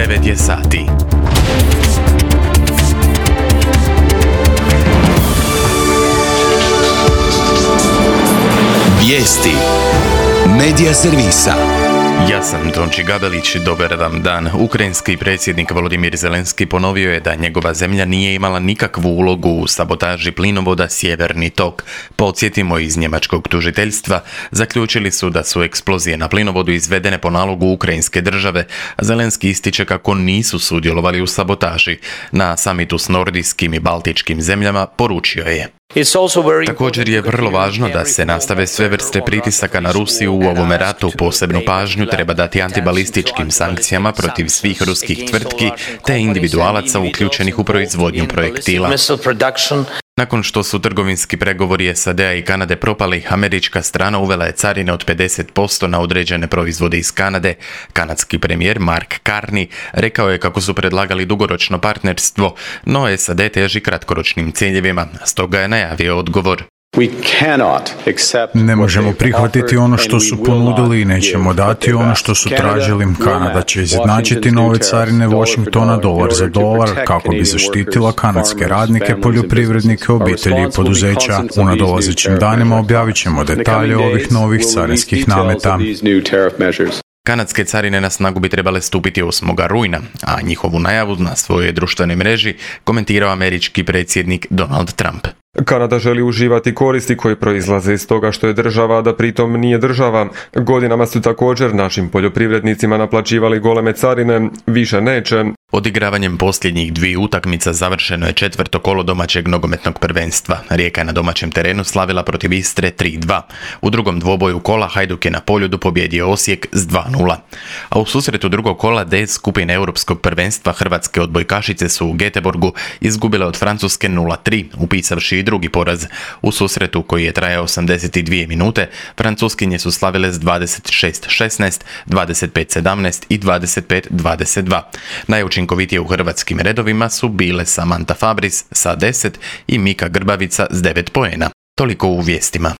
9 je sati. Vijesti Medija servisa. Ja sam Tonči Gabelić, dobar vam dan. Ukrajinski predsjednik Volodimir Zelenski ponovio je da njegova zemlja nije imala nikakvu ulogu u sabotaži plinovoda Sjeverni tok. Podsjetimo, iz njemačkog tužiteljstva zaključili su da su eksplozije na plinovodu izvedene po nalogu ukrajinske države, a Zelenski ističe kako nisu sudjelovali u sabotaži. Na samitu s nordijskim i baltičkim zemljama poručio je: također je vrlo važno da se nastave sve vrste pritisaka na Rusiju u ovome ratu. Posebnu pažnju treba dati antibalističkim sankcijama protiv svih ruskih tvrtki te individualaca uključenih u proizvodnju projektila. Nakon što su trgovinski pregovori SAD-a i Kanade propali, američka strana uvela je carine od 50% na određene proizvode iz Kanade. Kanadski premijer Mark Carney rekao je kako su predlagali dugoročno partnerstvo, no SAD teži kratkoročnim ciljevima, stoga je najavio odgovor. Ne možemo prihvatiti ono što su ponudili i nećemo dati ono što su tražili. Kanada će izjednačiti nove carine Washingtona dolar za dolar kako bi zaštitila kanadske radnike, poljoprivrednike, obitelji i poduzeća. U nadolazećim danima objavit ćemo detalje ovih novih carinskih nameta. Kanadske carine na snagu bi trebale stupiti 8. rujna, a njihovu najavu na svojoj društvenoj mreži komentirao američki predsjednik Donald Trump. Kanada želi uživati koristi koje proizlaze iz toga što je država, a da pritom nije država. Godinama su također našim poljoprivrednicima naplaćivali goleme carine, više neće. Odigravanjem posljednjih 2 utakmica završeno je 4. kolo domaćeg nogometnog prvenstva. Rijeka je na domaćem terenu slavila protiv Istre 3-2. U drugom dvoboju kola Hajduk je na Poljudu pobijedio Osijek s 2-0. A u susretu drugog kola D skupine europskog prvenstva hrvatske odbojkašice su u Göteborgu izgubile od Francuske 0-3, upisavši i drugi poraz. U susretu koji je trajao 82 minute, Francuskinje su slavile s 26-16, 25-17 i 25-22. Najučinkovitije u hrvatskim redovima su bile Samantha Fabris sa 10 i Mika Grbavica s 9 poena. Toliko u vijestima.